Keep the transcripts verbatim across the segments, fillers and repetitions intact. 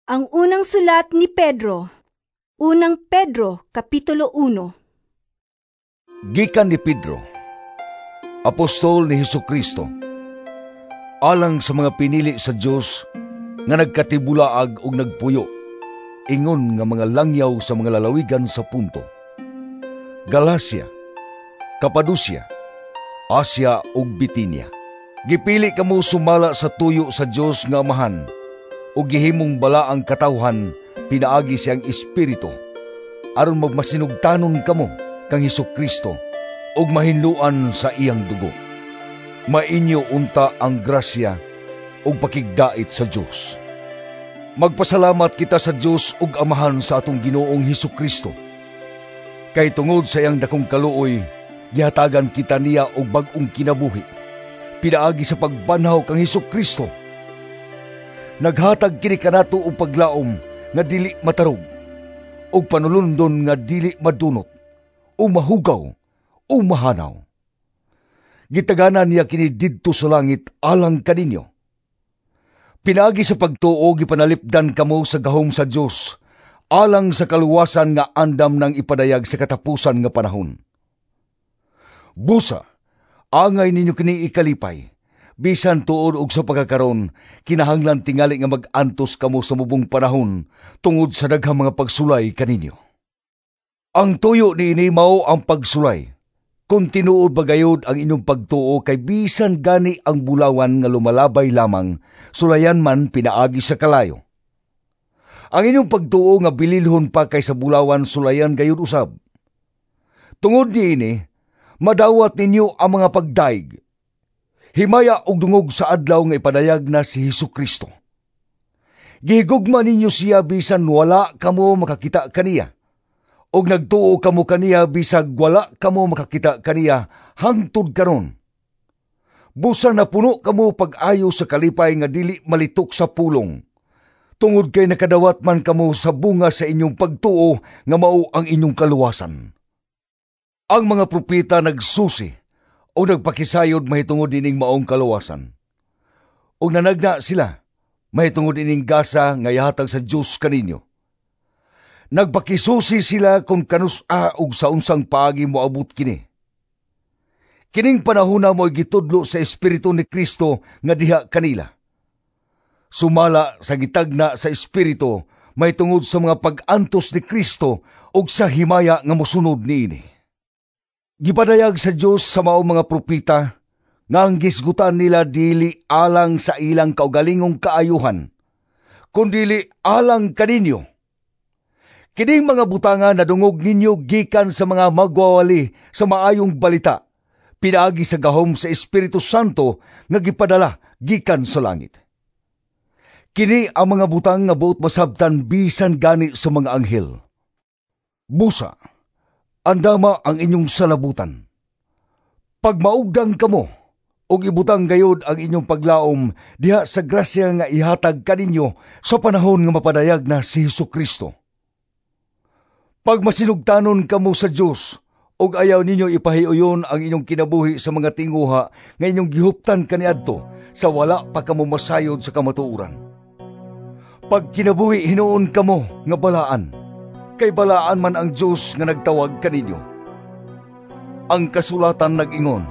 Ang unang sulat ni Pedro. Unang Pedro, Kapitulo uno. Gikan ni Pedro, apostol ni Hesukristo, alang sa mga pinili sa Dios nga nagkatibulaag ug nagpuyo, ingon nga mga langyaw sa mga lalawigan sa Ponto, Galacia, Capadocia, Asia ug Bitinia. Gipili kamo sumala sa tuyo sa Dios nga Amahan ug gihimong balaang katawhan pinaagi sa iyang Espiritu, aron magmasinugtanon kamo kang Hesukristo ug mahinloan sa iyang dugo. Mainyo unta ang grasya ug pakigdait sa Dios. Magpasalamat kita sa Dios ug Amahan sa atong Ginoong Hesukristo. Kay tungod sa iyang dakong kaluoy, gihatagan kita niya og bag-ong kinabuhi pinaagi sa pagbanhaw kang Hesukristo. Naghatag kini kanato og paglaom nga dili matarog, ug panulundon nga dili madunot, o mahugaw, o mahanaw. Gitagana niya kini didto sa langit alang kaninyo. Pinaagi sa pagtuo, gipanalipdan kamo sa gahom sa Dios alang sa kaluwasan nga andam nang ipadayag sa katapusan nga panahon. Busa, angay ninyo kini ikalipay, bisan tuod og sa pagkakaron, kinahanglan tingali nga mag-antos kamo sa mubong panahon tungod sa daghang mga pagsulay kaninyo. Ang tuyo niini mao ang pagsulay kung tinuod ba gayod ang inyong pagtuo, kay bisan gani ang bulawan nga lumalabay lamang, sulayan man pinaagi sa kalayo. Ang inyong pagtuo nga bililhon pa kaysa bulawan, sulayan gayod usab. Tungod niini, madawat ninyo ang mga pagdaig, himaya og dungog sa adlaw nga ipadayag na si Hesukristo. Gihigugma ninyo siya bisan wala kamo makakita kaniya, og nagtuo kamo kaniya bisag wala kamo makakita kaniya hangtod karon. Busa napuno kamo pag-ayo sa kalipay nga dili malitok sa pulong, tungod kay nakadawat man kamo sa bunga sa inyong pagtuo nga mao ang inyong kaluwasan. Ang mga propeta nagsusi o nagpakisayod mahitungod ining maong kaluwasan. Og nanagna sila mahitungod ining gasa nga ihatag sa Dios kaninyo. Nagpakisusi sila kung kanus-a ug sa unsang paagi moabot kini. Kining panahona mo'y gitudlo sa Espiritu ni Kristo nga diha kanila, sumala sa gitagna sa Espiritu mahitungod sa mga pag-antos ni Kristo ug sa himaya nga mosunod niini. Gipadayag sa Dios sa maong mga propeta nga ang gisgutan nila dili alang sa ilang kaugalingong kaayuhan, kundili alang kaninyo. Kining mga butanga nadungog ninyo gikan sa mga magwawali sa maayong balita, pinaagi sa gahom sa Espiritu Santo nga gipadala gikan sa langit. Kini ang mga butang nga buot masabtan bisan gani sa mga anghel. Busa, andama ang inyong salabutan. Pagmaugdang kamo, ug ibutang gayod ang inyong paglaom diha sa grasya nga ihatag kaninyo sa panahon nga mapadayag na si Hesukristo. Pagmasinugtanon kamo sa Dios, ug ayaw ninyo ipahiuyon ang inyong kinabuhi sa mga tinguha nga inyong gihuptan kaniadto sa wala pa kamo masayod sa kamatuoran. Pagkinabuhi hinuon kamo nga balaan, kay balaan man ang Dios nga nagtawag kaninyo. Ang kasulatan nag-ingon,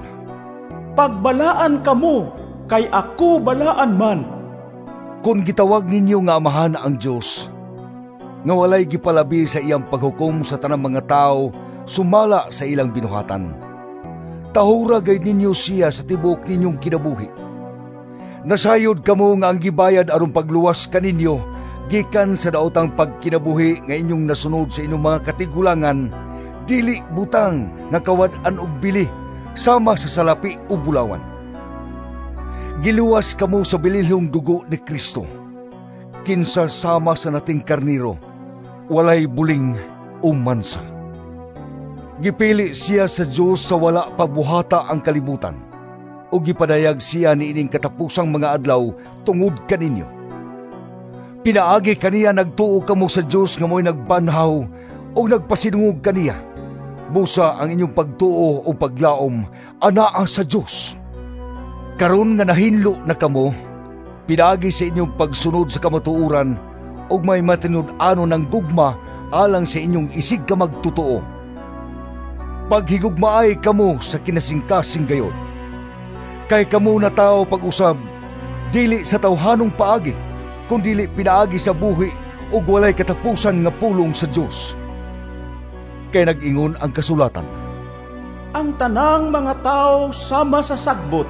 "Pagbalaan kamo, kay ako balaan man." Kung gitawag ninyo nga Amahan ang Dios, nga walay gipalabi sa iyang paghukom sa tanang mga tao sumala sa ilang binuhatan, tahura gayud ninyo siya sa tibuok ninyong kinabuhi. Nasayod kamo nga ang gibayad aron pagluwas kaninyo gikan sa daotang pagkinabuhi nga inyong nasunod sa inyong mga katigulangan, dili butang nga kawad-an og bili sama sa salapi o bulawan. Giluwas kamo sa bililhong dugo ni Kristo, kinsa sama sa nating karniro, walay buling o mansa. Gipili siya sa Dios sa wala pa buhata ang kalibutan, o gipadayag siya niining katapusang mga adlaw tungod kaninyo. Pinaagi kaniya nagtuo kamo sa Dios nga mo'y nagbanhaw o nagpasinungog kaniya. Busa ang inyong pagtuo o paglaom anaa sa Dios. Karon nga nahinlo na kamo, pinaagi sa inyong pagsunod sa kamatuoran ug may matinud-anon ng gugma alang sa inyong isig ka magtotoo. Paghigugmaay kamo sa kinasingkasing gayod. Kay kamo natawo pag-usab, dili sa tawhanong paagi, kundili pinaagi sa buhi ug walay katapusan nga pulong sa Dios. Kay nag-ingon ang kasulatan, Ang tanang mga tao sama sa sagbot,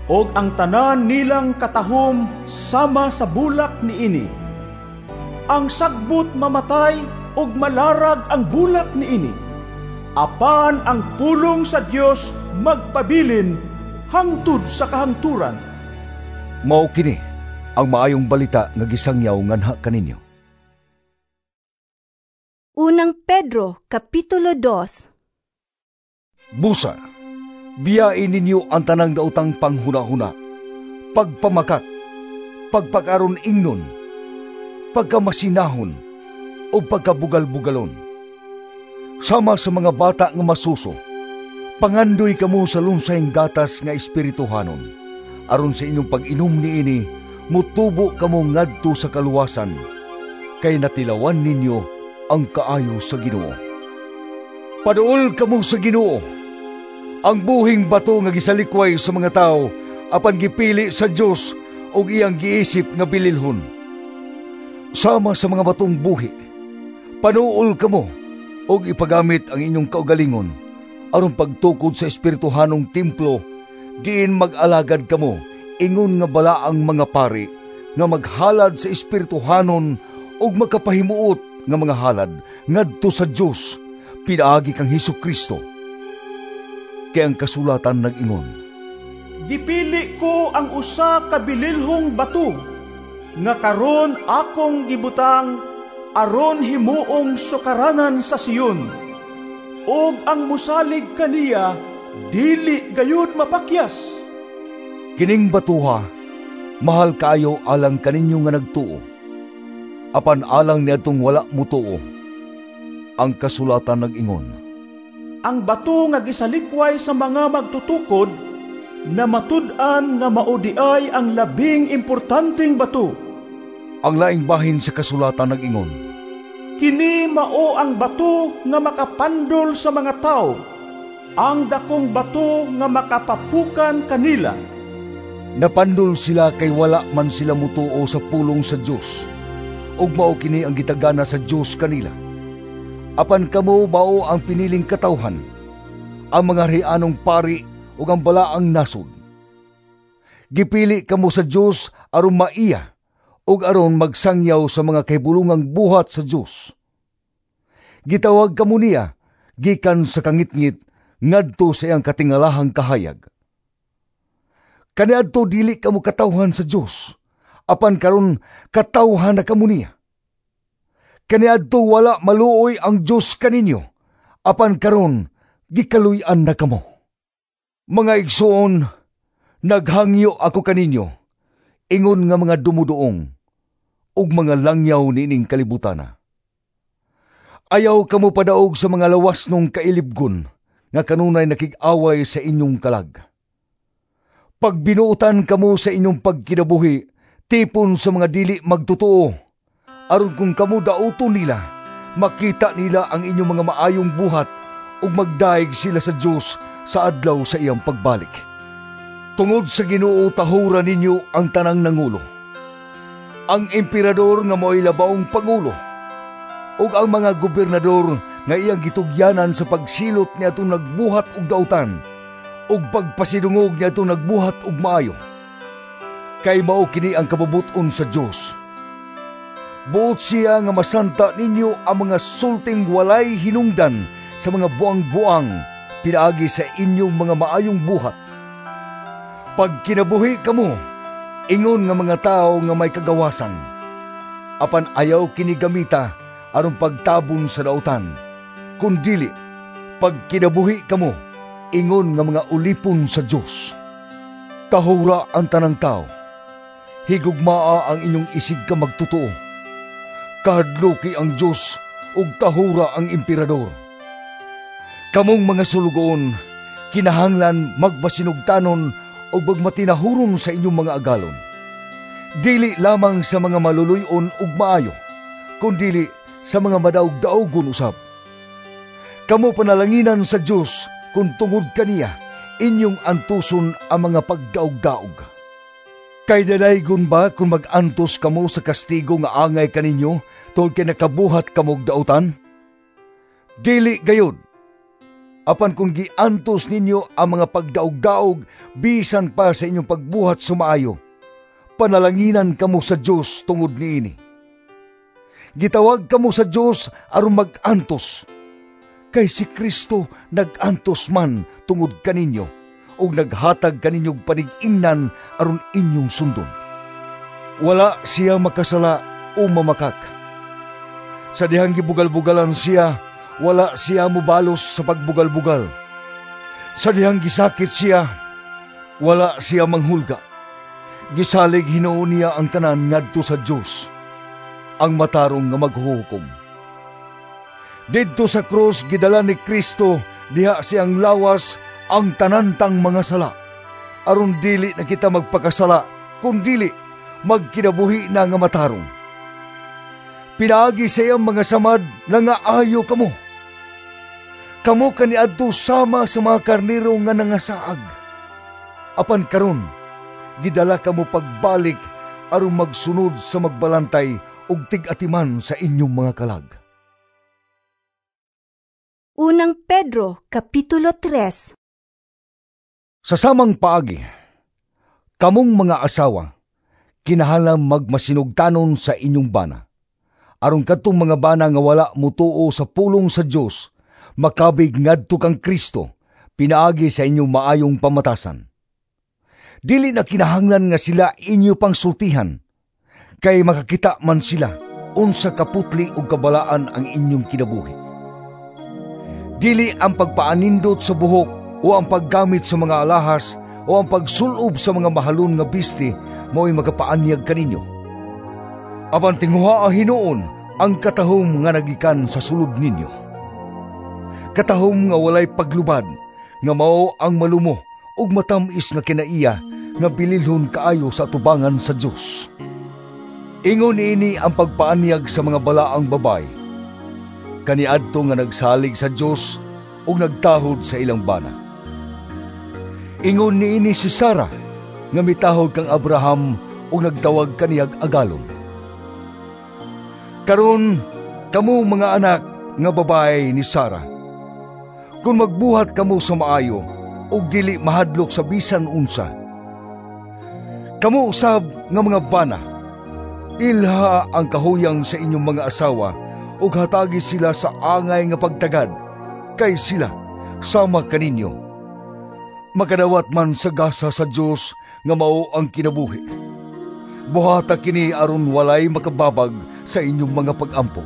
ug ang tanan nilang katahom sama sa bulak niini. Ang sagbot mamatay ug malarag ang bulak niini. Apan ang pulong sa Dios magpabilin hangtod sa kahangturan. Mao kini ang maayong balita nga gisangyaw nganha kaninyo. Unang Pedro, Kapitulo dos. Busa, biyain ninyo ang tanang daotang panghuna-huna, pagpamakak, pagpakaron ingnon, pagkamasinahon, o pagkabugal-bugalon. Sama sa mga bata nga masuso, pangandoy kamo sa lunsayng gatas nga espirituhanon, aron sa inyong pag-inom niini, mutubo kamo ngadto sa kaluwasan, kay natilawan ninyo ang kaayo sa Ginoo. Paduol kamo sa Ginoo, ang buhing bato nga gisalikway sa mga tao, apan gipili sa Dios ug iyang giisip nga bililhon. Sama sa mga batong buhi, panuol kamo ug ipagamit ang inyong kaugalingon aron pagtukod sa espirituhanong templo, diin mag-alagad kamo ingon nga balaang mga pari nga maghalad sa espirituhanon ug makapahimuot nga mga halad ngadto sa Dios pinaagi kang Hesus Kristo. Kay ang kasulatan nag-ingon, Gipili ko ang usa ka bililhong bato nga karon akong gibutang aron himuong sukaranan sa Sion, ug ang musalig kaniya dili gayud mapakyas. Kining batuha mahal kaayo alang kaninyo nga nagtuo, apan alang niadtong wala mutuo. Ang kasulatan nag-ingon, Ang bato nga gisalikway sa mga magtutukod na matud-an nga mao diay ang labing importanteng bato. Ang laing bahin sa kasulatan nag-ingon, Kini mao ang bato nga makapandol sa mga tao, ang dakong bato nga makapapukan kanila. Napandol sila kay wala man sila mutuo sa pulong sa Dios, ug mao kini ang gitagana sa Dios kanila. Apan kamo mao ang piniling katawhan, ang mga rianong pari ug ang balaang nasod. Gipili kamo sa Dios aron maiya ug aron magsangyaw sa mga kahibulungang buhat sa Dios. Gitawag kamo niya gikan sa kangitngit ngadto sa iyang katingalahang kahayag. Kaniadto dili kamo katawhan sa Dios, apan karon katawhan na kamo niya. Kaniadto wala maluoy ang Dios kaninyo, apan karon gikaluy-an na kamo. Mga igsoon, naghangyo ako kaninyo, ingon nga mga dumuduong ug mga langyaw niining kalibutana. Ayaw kamo padaog sa mga lawas nung kailibgon nga kanunay nakig-away sa inyong kalag. Pagbinuotan kamo sa inyong pagkinabuhi, tipon sa mga dili magtotoo, aron kung kamo dauton nila, makita nila ang inyong mga maayong buhat ug magdaig sila sa Dios sa adlaw sa iyang pagbalik. Tungod sa Ginoo tahura ninyo ang tanang nangulo. Ang emperador nga mao'y labawong pangulo, ug ang mga gobernador nga iyang gitugyanan sa pagsilot niadtong nagbuhat og dautan ug pagpasidungog niadtong nagbuhat og maayo. Kay mao kini ang kabubut-on sa Dios. Buot siya nga masanta ninyo ang mga sulting walay hinungdan sa mga buang-buang pinaagi sa inyong mga maayong buhat. Pagkinabuhi kamo, ingon nga mga tao nga may kagawasan, apan ayaw kini gamita aron pagtabon sa dautan, kundili pagkinabuhi kamo, ingon nga mga ulipon sa Dios. Tahura ang tanang tao, higugmaa ang inyong isig ka magtotoo. Kahadluki ang Dios ug tahura ang emperador. Kamong mga sulugoon, kinahanglan magmasinugtanon ug magmatinahuron sa inyong mga agalon. Dili lamang sa mga maluluy-on ug maayo, kundili sa mga madaog-daogon usab. Kamo panalanginan sa Dios kung tungod kaniya inyong antuson ang mga pagdaog-daog. Kay dalaygon ba kung mag-antos kamo sa kastigo nga angay kaninyo tungod kay nakabuhat kamog dautan? Dili gayud. Apan kung giantos ninyo ang mga pagdaog-daog bisan pa sa inyong pagbuhat sa maayo, panalanginan kamo sa Dios tungod niini. Gitawag kamo sa Dios aron mag-antos, kay si Kristo nag-antos man tungod kaninyo ug naghatag kaninyog panig-ingnan aron inyong sundon. Wala siya makasala o mamakak. Sa dihang gibugal-bugalan siya, wala siya mobalos sa pagbugal-bugal. Sa dihang gisakit siya, wala siya manghulga. Gisalig hinuon niya ang tanan ngadto sa Dios, ang matarong nga maghuhukom. Didto sa krus gidala ni Kristo diha siyang lawas ang tanantang mga sala, aron dili na kita magpakasala, kun dili magkinabuhi na nga matarong. Pinaagi sa iyang mga samad na nga ayo kamo. Kamo kaniadto sama sa mga karnero nga nangasaag. Apan karon, gidala kamo pagbalik aron magsunod sa magbalantay ug tig-atiman sa inyong mga kalag. Unang Pedro, Kapitulo tres. Sa samang paagi, kamong mga asawa, kinahanglan magmasinugtanon sa inyong bana. Aron kadtong mga bana nga wala mutuo sa pulong sa Dios, makabig ngadto kang Kristo, pinaagi sa inyong maayong pamatasan. Dili na kinahanglan nga sila inyo pang sultihan, kay makakita man sila unsa kaputli ug kabalaan ang inyong kinabuhi. Dili ang pagpaanindot sa buhok o ang paggamit sa mga alahas o ang pagsulob sa mga mahalon nga bisti mao'y makapaanyag kaninyo. Apan tinguhaa hinuon ang katahom nga nagikan sa sulod ninyo. Katahom nga walay paglubad, nga mao ang malumo ug matam-is nga kinaiya nga bililhon kaayo sa atubangan sa Dios. Ingon niini ang pagpaanyag sa mga balaang babay, kaniadto nga nagsalig sa Dios ug nagtahod sa ilang bana. Ingon niini si Sara nga mitahod kang Abraham ug nagtawag kaniyag agalon. Karon kamo mga anak nga babae ni Sara, kung magbuhat kamo sa maayo ug dili mahadlok sa bisan unsa, kamo usab nga mga bana, ilha ang kahuyang sa inyong mga asawa ug hatagi sila sa angay nga pagtagad, kay sila sama kaninyo makadawat man sa gasa sa Dios nga mao ang kinabuhi. Buhata kini aron walay makababag sa inyong mga pag-ampo.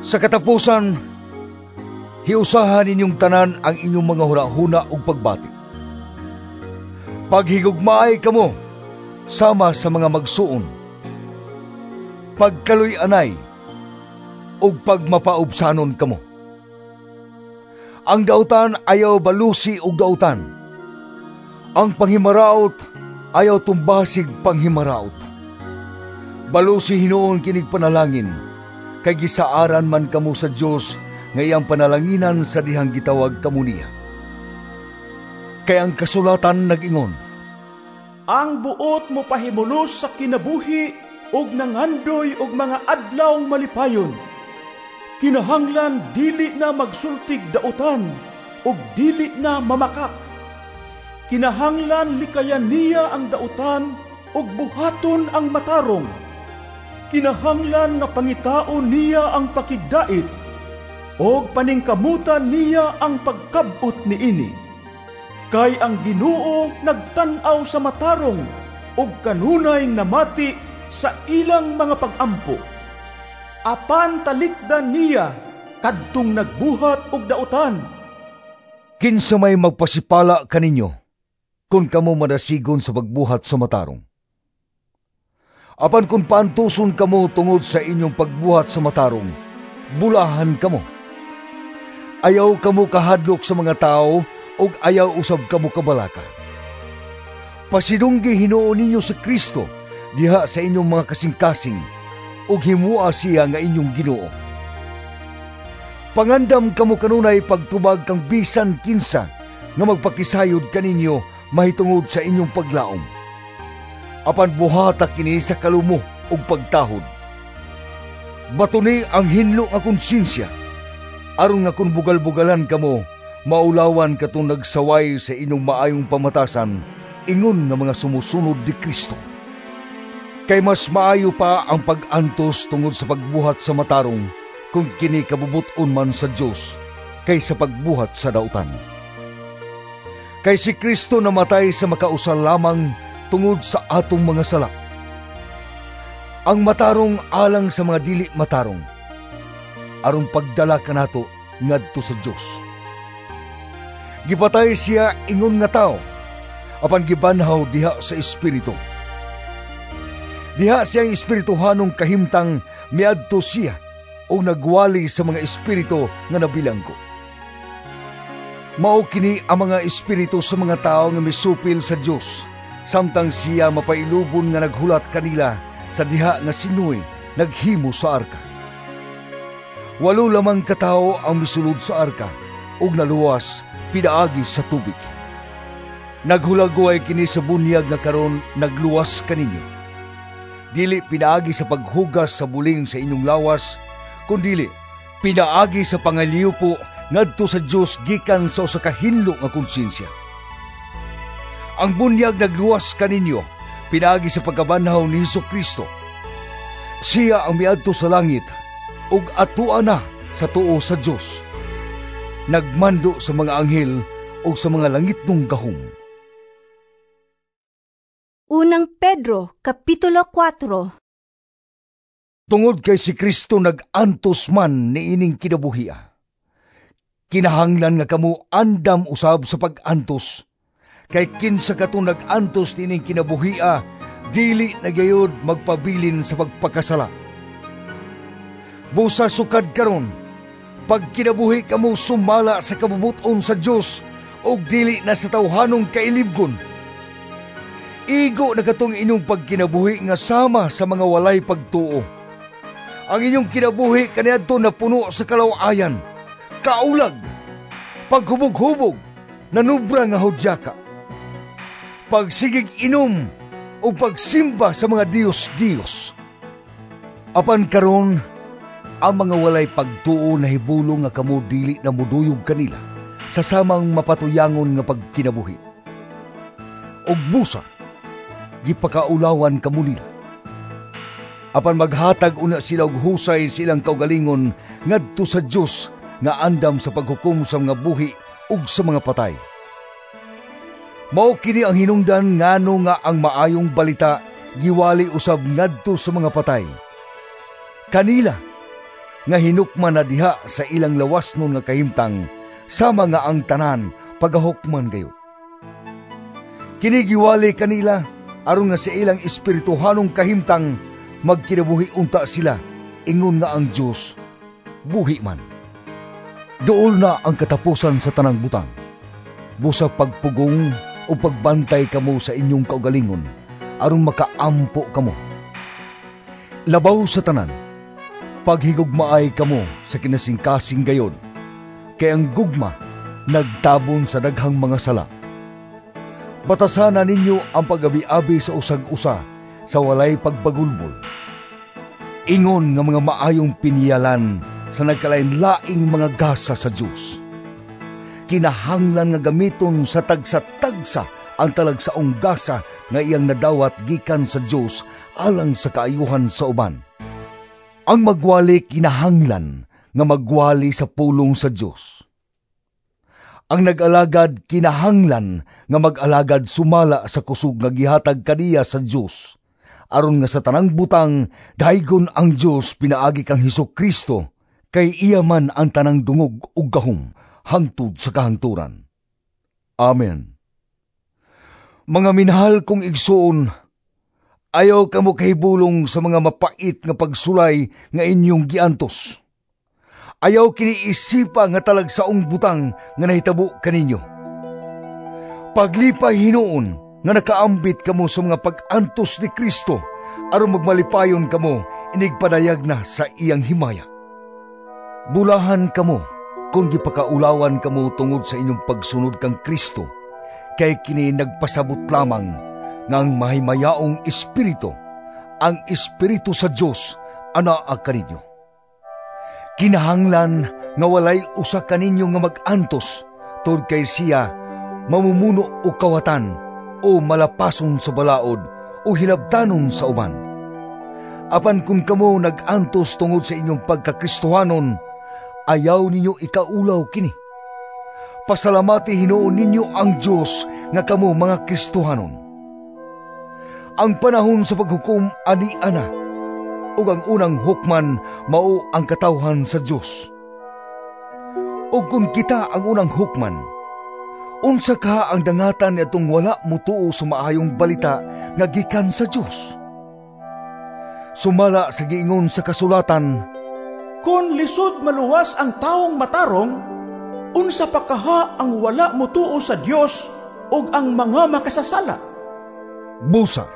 Sa katapusan, hiusahan ninyong tanan ang inyong mga hunahuna ug pagbati. Paghigugmaay kamo sama sa mga magsuon. Pagkaluy-anay ug pagmapaubsanon kamo. Ang dautan ayaw balusi og dautan. Ang panghimaraot ayaw tumbasig panghimaraot. Balusi hinuon kinig panalangin, kay gisaaran man kamo sa Dios nga iyang panalanginan sa dihang gitawag kamo niya. Kay ang kasulatan nag-ingon, ang buot mo pahimulos sa kinabuhi ug nangandoy og mga adlaw malipayon. Kinahanglan dili na magsultig dautan ug dili na mamakak. Kinahanglan likayan niya ang dautan ug buhaton ang matarong. Kinahanglan nga pangitaon niya ang pakigdait ug paningkamutan niya ang pagkab-ot niini. Kay ang Ginoo nagtan-aw sa matarong ug kanunay namati sa ilang mga pag-ampo. Apan talikdan niya kadtong nagbuhat og dautan. Kinsa may magpasipala kaninyo kung kamo madasigon sa pagbuhat sa matarong? Apan kung paantuson kamo tungod sa inyong pagbuhat sa matarong, bulahan kamo. Ayaw kamo kahadlok sa mga tao ug ayaw usab kamo kabalaka. Pasidunggi hinuon ninyo si Kristo diha sa inyong mga kasing-kasing ug himua siya nga inyong Ginoo. Pangandam kamo kanunay pagtubag kang bisan kinsa nga magpakisayod kaninyo mahitungod sa inyong paglaom. Apan buhata kini sa kalumo ug pagtahod. Batuni ang hinlo nga konsensya, aron nga kun bugal-bugalan kamo, maulawan katong nagsaway sa inyong maayong pamatasan, ingon nga mga sumusunod ni Kristo. Kay mas maayo pa ang pag-antos tungod sa pagbuhat sa matarong, kung kini kabubut-on man sa Dios, kaysa pagbuhat sa dautan. Kay si Kristo namatay sa makausa lamang tungod sa atong mga sala. Ang matarong alang sa mga dili matarong, aron pagdala kanato ngadto sa Dios. Gipatay siya ingon nga tao, apan gibanhaw diha sa espiritu. Diha siyang espirituhanong kahimtang miadto siya og nagwali sa mga espiritu nga nabilanggo. Mao kini ang mga espiritu sa mga tao nga misupil sa Dios, samtang siya mapailubon nga naghulat kanila sa diha nga si Noe naghimo sa arka. Walo lamang katawo ang misulod sa arka ug naluwas pinaagi sa tubig. Naghulagway kini sa bunyag nga karon nagluwas kaninyo. Dili pinaagi sa paghugas sa buling sa inyong lawas, kundili pinaagi sa pangaliupo ngadto sa Dios gikan sa usa ka hinlo nga konsensya. Ang bunyag nagluwas kaninyo pinaagi sa pagkabanhaw ni Hesukristo. Siya ang miadto sa langit ug atua na sa tuo sa Dios. Nagmando sa mga anghel ug sa mga langitnong gahom. Unang Pedro, Kapitulo kwatro. Tungod kay si Kristo nag-antos man niining kinabuhia, kinahanglan nga kamo andam usab sa pag-antos. Kay kinsa kato nag-antos niining kinabuhia, dili na gayod magpabilin sa pagpakasala. Busa sukad karon, pagkinabuhi kamo sumala sa kabubuton sa Dios ug dili na sa tawhanong kailibgon. Igo na katong inyong pagkinabuhi nga sama sa mga walay pagtuo. Ang inyong kinabuhi kaniadto na puno sa kalawayan, kaulag, paghubog-hubog, nanubra nga hudyaka, pagsigig inom o pagsimba sa mga Diyos-Diyos. Apan karon, ang mga walay pagtuo na hibulong nga kamo dili na muduyog kanila sa samang mapatuyangon nga pagkinabuhi. Og busa, gipakaulawan kamo nila. Apan maghatag una sila og husay silang kaugalingon ngadto sa Dios nga andam sa paghukom sa mga buhi ug sa mga patay. Mao kini ang hinungdan ngano nga ang maayong balita giwali usab ngadto sa mga patay. Kanila nga hinukman na diha sa ilang lawas nun nga kahimtang, sama nga ang tanan pagahukman gayud. Kini giwali kanila aron nga sa ilang espirituhanong kahimtang magkinabuhi unta sila, ingon nga ang Dios buhi man. Duol na ang katapusan sa tanang butang. Busa pagpugong o pagbantay kamo sa inyong kaugalingon, aron makaampo kamo. Labaw sa tanan, paghigugmaay kamo sa kinasingkasing gayon, kay ang gugma nagtabon sa daghang mga sala. Batasana ninyo ang pag-abi-abi sa usag-usa sa walay pagbagulbol. Ingon nga mga maayong piniyalan sa nagkalain-laing mga gasa sa Dios. Kinahanglan nga gamiton sa tagsa-tagsa ang talagsaong gasa nga iyang nadawat gikan sa Dios alang sa kaayuhan sa uban. Ang magwali kinahanglan nga magwali sa pulong sa Dios. Ang nag-alagad kinahanglan nga mag-alagad sumala sa kusog nga gihatag kaniya sa Dios, aron nga sa tanang butang daygon ang Dios pinaagi kang Hesukristo, kay iya man ang tanang dungog ug gahom hangtod sa kahangturan. Amen. Mga minahal kong igsuon, ayaw kamo kahibulong sa mga mapait nga pagsulay nga inyong giantos. Ayaw kiniisipa nga talagsaong butang nga nahitabo kaninyo. Paglipay hinuon nga nakaambit kamo sa mga pag-antos ni Kristo, aron magmalipayon kamo inigpadayag na sa iyang himaya. Bulahan kamo kung gipakaulawan kamo tungod sa inyong pagsunod kang Kristo, kay kini nagpasabot lamang nga ang mahimayaong espiritu, ang espiritu sa Dios, anaa kaninyo. Kinahanglan nga walay usa kaninyo nga mag-antos tungod kay siya mamumuno o kawatan o malapason sa balaod o hilabtanon sa uban. Apan kung kamo nag-antos tungod sa inyong pagkakristohanon, ayaw ninyo ikaulaw kini. Pasalamati hinuon ninyo ang Dios nga kamo mga Kristohanon. Ang panahon sa paghukom ani ana, ug ang unang hukman mao ang katawhan sa Dios. Ug kung kita ang unang hukman, unsa ka ang dangatan niadtong wala motuo sa maayong balita nga gikan sa Dios? Sumala sa giingon sa kasulatan, "Kon lisod maluwas ang tawong matarong, unsa pa kaha ang wala motuo sa Dios ug ang mga makasasala?" Busa,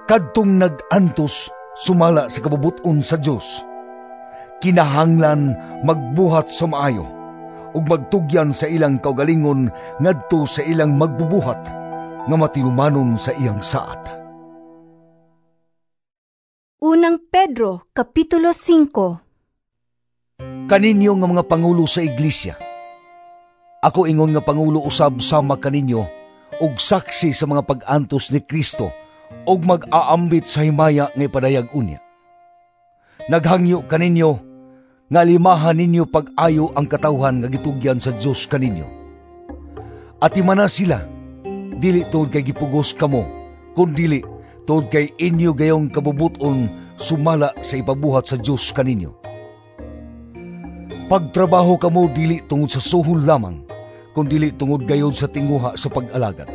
kadtong nag-antos sumala sa kabubut-on sa Dios, kinahanglan magbuhat sa maayo ug magtugyan sa ilang kaugalingon ngadto sa ilang magbubuhat nga matinumanon sa iyang saad. Unang Pedro, Kapitulo singko. Kaninyo nga mga pangulo sa iglesia, ako ingon nga pangulo usab sama kaninyo ug saksi sa mga pag-antos ni Kristo ug mag-aambit sa himaya nga ipadayag unya. Naghangyo kaninyo nga limahan ninyo pag-ayo ang katawhan nga gitugyan sa Dios kaninyo. Atimana sila, dili tungod kay gipugos kamo, kundili tungod kay inyo gayong kabubuton sumala sa ipabuhat sa Dios kaninyo. Pagtrabaho kamo dili tungod sa suhol lamang, kundili tungod gayon sa tinguha sa pag-alagad.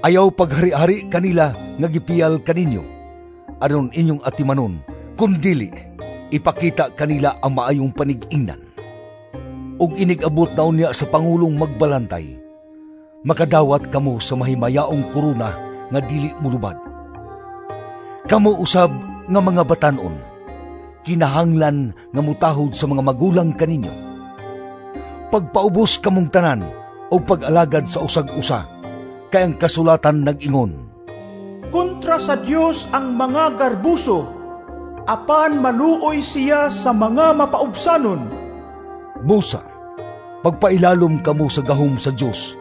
Ayaw paghari-hari kanila nga gipiyal kaninyo, aron inyong atimanon, kundili ipakita kanila ang maayong panig-ingnan. Ug inig-abot na unya sa pangulong magbalantay, makadawat kamo sa mahimayaong korona nga dili mulubad. Kamo usab nga mga batan-on, kinahanglan nga mutahod sa mga magulang kaninyo. Pagpaubos kamong tanan o pag-alagad sa usag-usa, kay ang kasulatan nag-ingon, "Kontra sa Dios ang mga garbuso, apan maluoy siya sa mga mapaubsanon." Busa, pagpailalom kamo sa gahom sa Dios,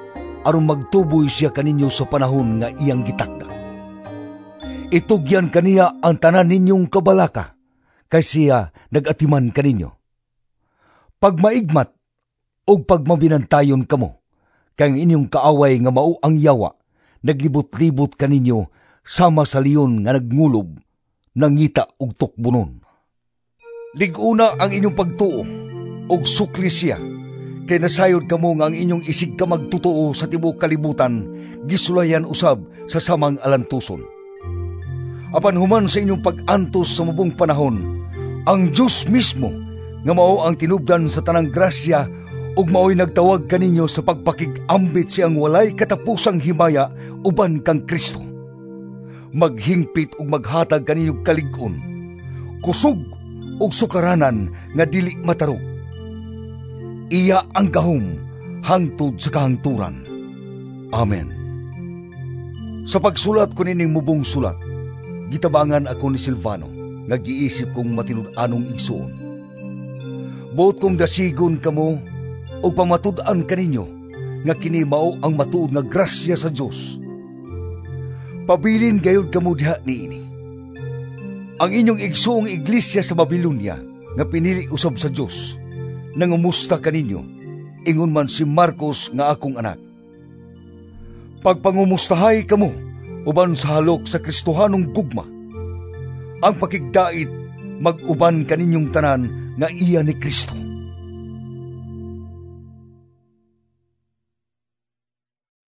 aron magtuboy siya kaninyo sa panahon nga iyang gitakda. Itugyan kaniya ang tanan ninyong kabalaka, kay siya nagatiman kaninyo. Pagmaigmat ug pagmabinantayon kamo, kay ang inyong kaaway nga mao ang yawa, naglibot-libot kaninyo sama sa leon nga nagngulob, nangita og tukbonon. Lig-una ang inyong pagtuo ug sukli siya, kay nasayod kamo nga ang inyong isig ka magtotoo sa tibuok kalibutan gisulayan usab sa samang alantuson. Apan human sa inyong pag-antos sa mubong panahon, ang Dios mismo nga mao ang tinubdan sa tanang grasya ug maoy nagtawag kaninyo sa pagpakig-ambit siyang walay katapusang himaya uban kang Kristo, maghingpit ug maghatag kaninyo kalig-on, kusog ug sukaranan nga dili matarog. Iya ang gahom hangtod sa kahangturan. Amen. Sa pagsulat ko nining mubong sulat, gitabangan ako ni Silvano nga giisip kong matinud-anong igsuon. Buot kong dasigon kamo ug pamatud-an kaninyo nga kini mao ang matuod nga grasya sa Dios. Pabilin gayud kamo diha niini. Ang inyong igsuong iglesia sa Babilonia nga pinili usab sa Dios, nangumusta kaninyo, ingon man si Marcos nga akong anak. Pagpangumustahay kamo uban sa halok sa Kristohanong gugma. Ang pakigdait mag-uban kaninyong tanan nga iya ni Kristo.